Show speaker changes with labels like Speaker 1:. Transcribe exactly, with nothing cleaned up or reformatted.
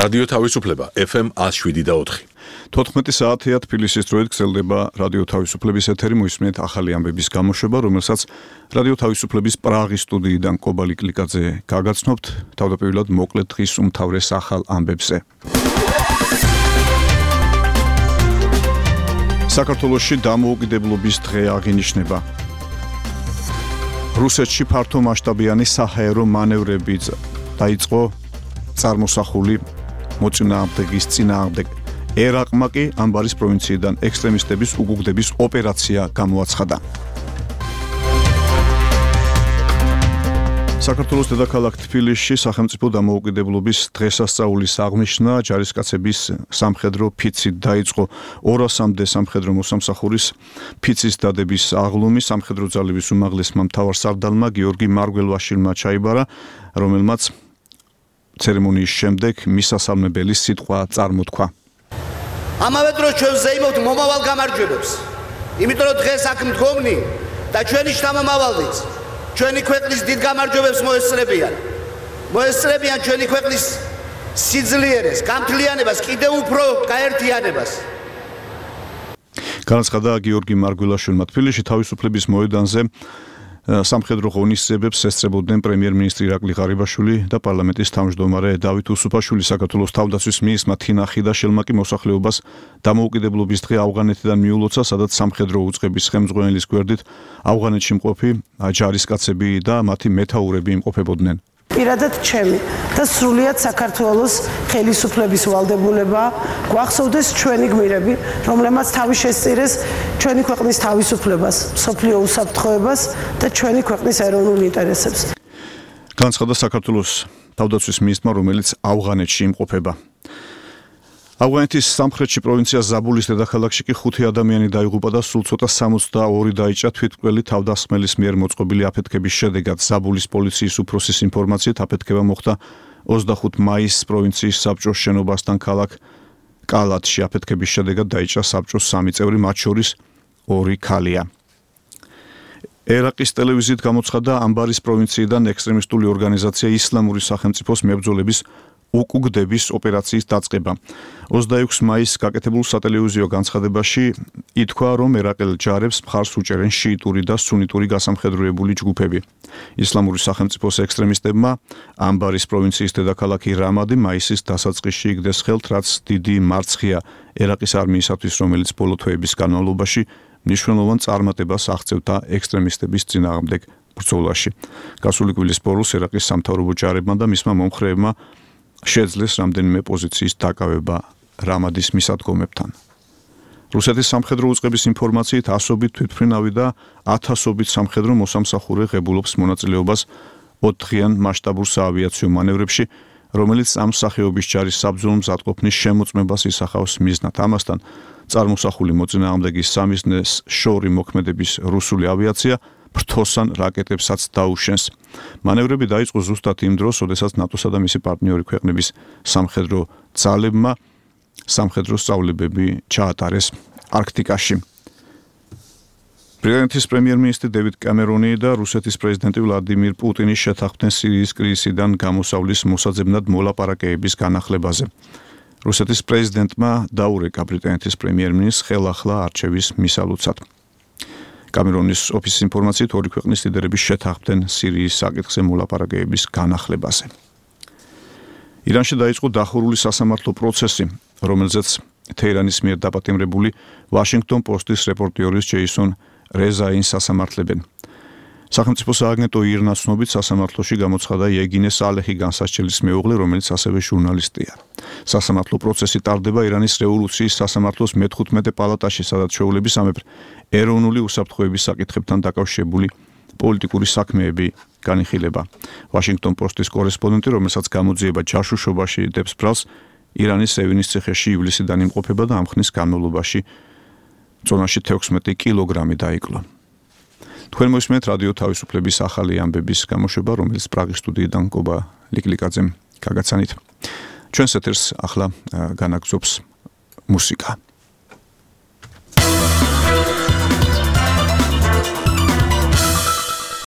Speaker 1: რადიო თავისუფლება ეფ ემ one oh seven და four.
Speaker 2: თოთხმეტი საათია თბილისის დროით გრძელდება რადიო თავისუფლების ეთერი, მოისმენთ ახალი ამბების გამოშვება, რომელსაც რადიო თავისუფლების პრაღის სტუდიიდან კობა ლიკლიკაძე გაგაცნობთ, თავდაპირველად მოკლედ დღის უმთავრეს ახალ ამბებზე. საქართველოში დამოუკიდებლობის დღე აღინიშნება. რუსეთში ფართო მასშტაბიანი საჰაერო მანევრები დაიწყო წარმოსახული მოწინააღმდეგის წინააღმდეგ. ერაყმა კი ამბარის პროვინციიდან ექსტრემისტების უგუგდების ოპერაცია გამოაცხადა. საქართველოს დედაქალაქ თბილისში სახელმწიფო დამოუკიდებლობის დღესასწაულის აღნიშვნა ჯარისკაცების სამხედრო ფიცით დაიწყო. ორასამდე სამხედრო მოსამსახურის ფიცის დადების აღლუმი სამხედრო ძალების უმაღლესმა მთავარსარდალმა გიორგი მარგველვაშვილმა ჩაიბარა, რომელმაც ცერემონიის შემდეგ მისასალმებელი სიტყვა წარმოთქვა.
Speaker 3: ამავე დროს ჩვენ ვზეიმობთ მომავალ გამარჯვებებს. იმიტომ რომ დღეს აქ მდგომნი და ჩვენი შთამომავალიც ჩვენი ქვეყნის დიდ გამარჯვებებს მოესწრებიან. მოესწრებიან ჩვენი ქვეყნის სიძლიერეს, გამთლიანებას, კიდევ უფრო გაერთიანებას.
Speaker 2: განაცხადა გიორგი მარგველაშვილმა თბილისში თავისუფლების მოედანზე სამხედრო ღონისძიებებს ესწრებოდნენ პრემიერ-მინისტრი ირაკლი ღარიბაშვილი და პარლამენტის თავმჯდომარე დავით უსუფაშვილი. საქართველოს თავდაცვის მინისტრმა თინა ხიდაშელმა კი მოსახლეობას დამოუკიდებლობის დღე ავღანეთიდან მიულოცა, სადაც სამხედრო უწყების ხელმძღვანელის გვერდით ავღანეთში მყოფი ჯარისკაცები და მათი მეთაურები იმყოფებოდნენ.
Speaker 4: პირადად ჩემი და სრულიად საქართველოს ხელისუფლების ვალდებულება გვახსოვდეს ჩვენი გმირები, რომლებმაც თავი შესწირეს ჩვენი ქვეყნის თავისუფლებას, მსოფლიო უსაფრთხოებას და ჩვენი ქვეყნის ეროვნულ ინტერესებს.
Speaker 2: განაცხადა საქართველოს თავდაცვის მინისტრმა, რომელიც ავღანეთში იმყოფება. ავღანეთის სამხრეთში პროვინცია ზაბულის დედაქალაქში კი ხუთი ადამიანი დაიღუპა და სულ ცოტა სამოცდაორი დაიჭრა თვითმკვლელი თავდასხმელის მიერ მოწყობილი აფეთქების შედეგად. ზაბულის პოლიციის უფროსის ინფორმაციით აფეთქება მოხდა ოცდახუთი მაისს პროვინციის საბჭოს შენობასთან ქალაქ კალათში. აფეთქების შედეგად დაიჭრა საბჭოს სამი წევრი, მათ შორის ორი ქალია. ერაყის ტელევიზიით გამოცხადდა ამბარის პროვინციიდან ექსტრემისტული ორგანიზაცია ისლამური სახელმწიფოს მებრძოლების უკუგდების ოპერაციის დაწყება. ოცდაექვსი მაისს გაკეთებულ სატელევიზიო განცხადებაში ითქვა, რომ ერაყელ ჯარებს მხარს უჭერენ შიიტური და სუნიტური გასამხედროებული ჯგუფები. ისლამური სახელმწიფოს ექსტრემისტებმა ამბარის პროვინციის დედაქალაქი რამადი მაისის დასაწყისში იგდეს ხელთ, რაც დიდი მარცხია ერაყის არმიისათვის, რომელიც ბოლო თვეების განმავლობაში მნიშვნელოვან წარმატებას აღწევდა ექსტრემისტების წინააღმდეგ ბრძოლაში. გასული კვირის ბოლოს ერაყის სამთავრობო ჯარებმა და მისმა მომხრეებმა შეძლეს რამდენიმე პოზიციის დაკავება რამადის მისადგომებთან. რუსეთის სამხედრო უწყების ინფორმაციით ასობით თვითმფრინავი და ათასობით სამხედრო მოსამსახურე ღებულობს მონაწილეობას ოთხდღიან მასშტაბურ საავიაციო მანევრებში, რომელიც ამ სახეობის ჯარის საბრძოლო მზადყოფნის შემოწმებას ისახავს მიზნად. ამასთან წარმოსახული მოწინააღმდეგის სამიზნეს შორი მოქმედების რუსული ავიაცია ფრთოსან რაკეტებსაც დაუშენს. მანევრები დაიწყო ზუსტად იმ დროს, როდესაც ნატოსა და მისი პარტნიორი ქვეყნების სამხედრო ძალებმა სამხედრო სწავლებები ჩაატარეს არქტიკაში. ბრიტანეთის პრემიერ-მინისტრი დევიდ კემერონი და რუსეთის პრეზიდენტი ვლადიმირ პუტინი შეთანხმდნენ სირიის კრიზისიდან გამოსავლის მოსაძებნად მოლაპარაკებების განახლებაზე. რუსეთის პრეზიდენტმა დაურეკა ბრიტანეთის პრემიერ-მინისტრს ხელახლა არჩევის მისალუცად. კამერონის ოფისის ინფორმაციით ორი ქვეყნის ლიდერები შეთანხმდნენ სირიის საკითხზე მოლაპარაკებების განახლებაზე. ირანში დაიწყო დახურული სასამართლო პროცესი, რომელზეც თეირანის მიერ დაპატიმრებული ვაშინგტონ პოსტის რეპორტიორის ჯეისონ რეზაინს სასამართლებენ. სახელმწიფო სააგენტო ირნას ცნობით სასამართლოში გამოცხადა იეგინე სალეჰი განსასჯელის მეუღლე, რომელიც ასევე ჟურნალისტია. სასამართლო პროცესი ტარდება ირანის რევოლუციის სასამართლოს მეთხუთმეტე პალატაში, სადაც ჩვეულების სამეფო ეროვნული უსაფრთხოების საკითხებთან დაკავშირებული პოლიტიკური საქმეები განიხილება. ვაშინგტონ პოსტის კორესპონდენტი, რომელსაც გამოძიება ჯაშუშობაში დებს ბრალს, ირანის სევინის ციხეში ივლისიდან იმყოფება და ამ ხნის განმავლობაში წონაში თექვსმეტი კილოგრამი დაიკლო. თქვენ მოისმენთ რადიო თავისუფლების ახალი ამბების გამოშვება, რომელიც პრაღის სტუდიიდან კობა ლიკლიკაძემ გაგაცანით. ჩვენს ეთერს ახლა განაგზობს მუსიკა.